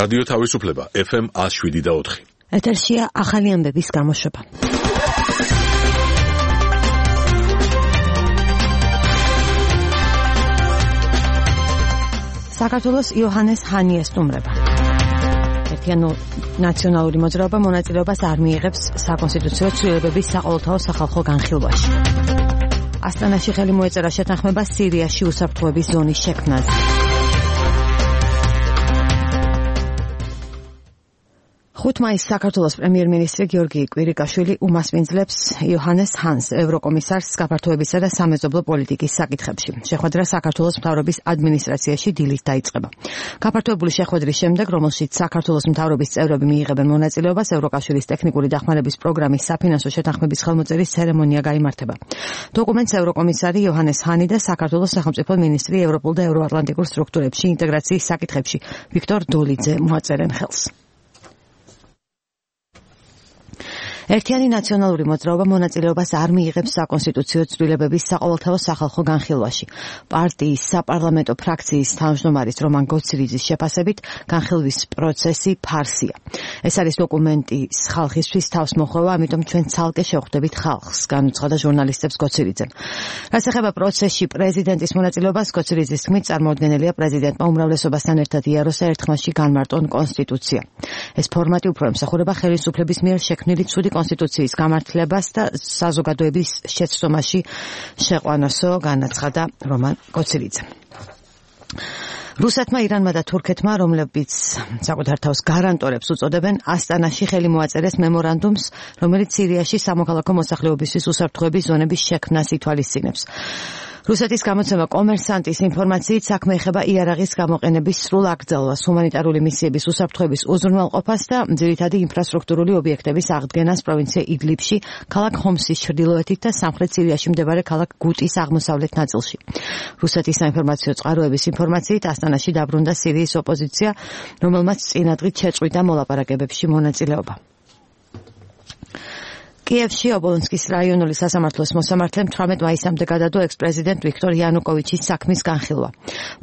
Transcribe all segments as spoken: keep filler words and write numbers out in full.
რადიო თავისუფლება ეფ ემ one oh seven და four. ეთერშია ახალი ამბების გამოშვება. საქართველოს იოჰანეს ჰანი ესტუმრება. ერთიანი ნაციონალური მოძრაობა მონაწილეობას არ მიიღებს საკონსტიტუციო ცვლილებების საყოველთაო სახალხო განხილვაში. ასტანაში ხელი მოეწერა შეთანხმება სირიაში უსაფრთხოების ზონის შექმნაზე. ხუთ მაისს საქართველოს პრემიერ-მინისტრი გიორგი კვირიკაშვილი უმასპინძლებს იოჰანეს ჰანს, ევროკომისარს გაფართოებისა და სამეზობლო პოლიტიკის საკითხებში. შეხვედრა საქართველოს მთავრობის ადმინისტრაციაში დილით დაიწყება. გაფართოებული შეხვედრის შემდეგ, რომელშიც საქართველოს მთავრობის წევრები მიიღებენ მონაწილეობას, ევროკავშირის ტექნიკური დახმარების პროგრამის საფინანსო შეთანხმების ხელმოწერის ცერემონია გაიმართება. დოკუმენტს ევროკომისარი იოჰანეს ჰანი და საქართველოს სახელმწიფო მინისტრი ევროპულ და ევროატლანტიკურ სტრუქტურებში ინტეგრაციის საკითხებში ვიქტორ დოლიძე მოაწერენ ხელს. ერთიანი ნაციონალური მოძრაობა მონაწილეობას არ მიიღებს საკონსტიტუციო ცვლილებების საყოველთაო სახალხო განხილვაში. პარტიის საპარლამენტო ფრაქციის თავმჯდომარის რომან გოცირიძის შეფასებით, განხილვის პროცესი ფარსია. ეს არის დოკუმენტი ხალხისთვის თავს მოხვევა, ამიტომ ჩვენ ცალკე შევხვდებით ხალხს, განუცხადა ჟურნალისტებს გოცირიძემ. რაც ეხება პროცესში პრეზიდენტის მონაწილეობას, გოცირიძის თქმით, წარმოუდგენელია პრეზიდენტმა უმრავლესობასთან ერთად იაროსა ერთხმაში განმარტონ კონსტიტუცია. ეს ფორმატი უფრო ემსახურება ხელისუფლების მიერ შექმნილი ცუდი კონსტიტუციის გამართლებას და საზოგადოების შეცდომაში შეყვანასო, განაცხადა რომან გოცირიძე. რუსეთმა, ირანმა და თურქეთმა, რომლებიც საკუთარ თავს გარანტორებს უწოდებენ, ასტანაში ხელი მოაწერეს მემორანდუმს, რომელიც სირიაში სამოქალაქო მოსახლეობისთვის უსაფრთხოების ზონების შექმნას ითვალისწინებს. რუსეთის გამოცემა კომერსანტის ინფორმაციით საქმე ეხება იარაღის გამოყენების სრულ აკრძალვას, ჰუმანიტარული მისიების უსაფრთხოების უზრუნველყოფას და ძირითადი ინფრასტრუქტურული ობიექტების აღდგენას პროვინცია იდლიბში, ქალაქ ხომსის ჩრდილოეთით და სამხრეთ სირიაში მდებარე ქალაქ გუტის აღმოსავლეთ ნაწილში. რუსეთის საინფორმაციო წყაროების ინფორმაციით ასტანაში დაბრუნდა სირიის ოპოზიცია, რომელმაც წინადღით შეწყვიტა მოლაპარაკებებში მონაწილეობა. კიევში ობოლონსკის რაიონული სასამართლოს მოსამართლემ თვრამეტ მაისამდე გადადო ექს-პრეზიდენტ ვიქტორ იანუკოვიჩის საქმის განხილვა.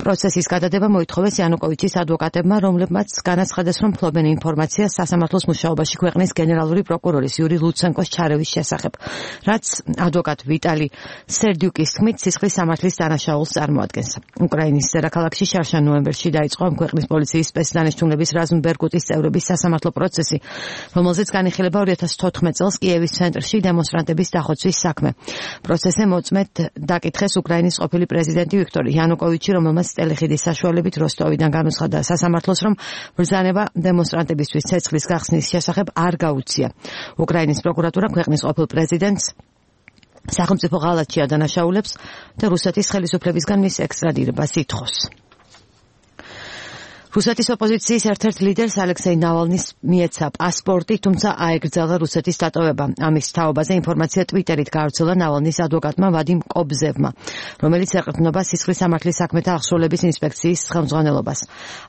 პროცესის გადადება მოითხოვეს იანუკოვიჩის ადვოკატებმა, რომლებმაც განაცხადეს, რომ ფლობენ ინფორმაციას სასამართლოს მუშაობაში ქვეყნის გენერალური პროკურორის იური ლუცენკოს ჩარევის შესახებ, რაც ადვოკატ ვიტალი სერდიუკის თქმით სისხლის სამართლის დანაშაულს წარმოადგენს. უკრაინის დედაქალაქში შარშან ნოემბერში დაიწყო ამ ქვეყნის პოლიციის სპეცდანიშნულების რაზმ ბერკუტის წევრების სასამართლო პროცესი, რომელზეც განიხილება ორი ათას თოთხმეტ წელს კიევის ცენტრში დემონსტრანტების დახოცვის საქმე. პროცესზე მოწმედ დაკითხეს უკრაინის ყოფილი პრეზიდენტი ვიქტორ იანუკოვიჩი, რომელმაც ტელეხიდის საშუალებით როსტოვიდან განუცხადა სასამართლოს, რომ ბრძანება დემონსტრანტებისთვის ცეცხლის გახსნის შესახებ არ გაუწია. უკრაინის პროკურატურა ქვეყნის ყოფილ პრეზიდენტს სახელმწიფო ღალატში ადანაშაულებს და რუსეთის ხელისუფლებისგან მის ექსტრადირებას ითხოვს. რუსეთის ოპოზიციის ერთ-ერთ ლიდერს ალექსეი ნავალნის მიეცა პასპორტი, თუმცა აეკრძალა რუსეთის დატოვება. ამის თაობაზე ინფორმაცია ტვიტერით გაავრცელა ნავალნის ადვოკატმა ვადიმ კობზევმა, რომელიც ეყრდნობა სისხლის სამართლის საქმეთა აღსრულების ინსპექციის ხელმძღვანელობას.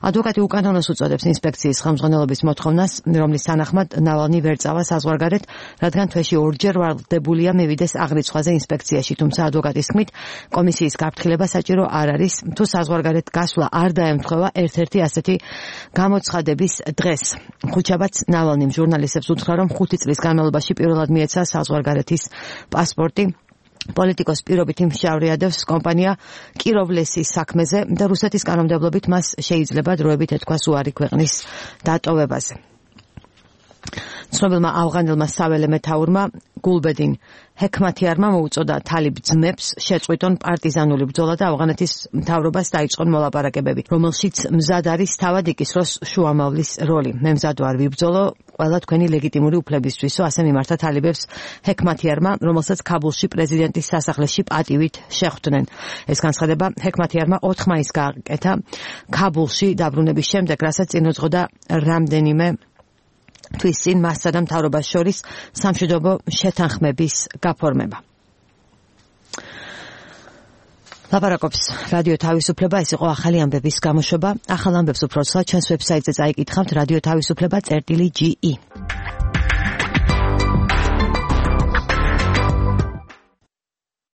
ადვოკატი უკანონოს უწოდებს ინსპექციის ხელმძღვანელობის მოთხოვნას, რომლის თანახმად ნავალნი ვერ წავა საზღვარგარეთ, რადგან თვეში ორჯერ ვალდებულია მივიდეს აღრიცხვაზე ინსპექციაში, თუმცა ადვოკატის თქმით, კომისიის გაფრთხილება საჭირო არ არის, თუ საზღვარგარეთ გასვლა არ დაემთხვევა ერთ-ერთი ასეთი გამოცხადების დღეს. ხუჩაბაც ნავალნიმ ჟურნალისტებს უთხრა, რომ ხუთი წლის განმავლობაში პირველად მიეცა საზღვარგარეთის პასპორტი. პოლიტიკოს პირობითი მშავრიადევს კომპანია კიროვლესის საქმეზე და რუსეთის კანონმდებლობით მას შეიძლება დროებით ეთქვას უარი ქვეყნის დატოვებაზე. ცნობილმა ავღანელმა საველე მეთაურმა გულბედინ ჰექმათიარმა მოუწოდა თალიბ ძმებს შეწყვიტონ პარტიზანული ბრძოლა და ავღანეთის მთავრობას დაიწყონ მოლაპარაკებები, რომელშიც მზად არის თავად იკისროს შუამავლის როლი. მე მზად ვარ ვიბრძოლო ყველა თქვენი ლეგიტიმური უფლებისთვისო, ასე მიმართა თალიბებს ჰექმათიარმა, რომელსაც ქაბულში პრეზიდენტის სასახლეში პატივით შეხვდნენ. ეს განცხადება ჰექმათიარმა ოთხ მაისს გააკეთა ქაბულში დაბრუნების შემდეგ, რასაც წინუძღოდა რამდენიმე თვის წინ მასსა და მთავრობას შორის სამშვიდობო შეთანხმების გაფორმება. ლაპარაკობს რადიო თავისუფლება, ეს იყო ახალი ამბების გამოშვება. ახალ ამბებს უფრო ცალ ჩვენს ვებსაიტზე წაიკითხავთ რადიო თავისუფლება წერტილი ჯი ი.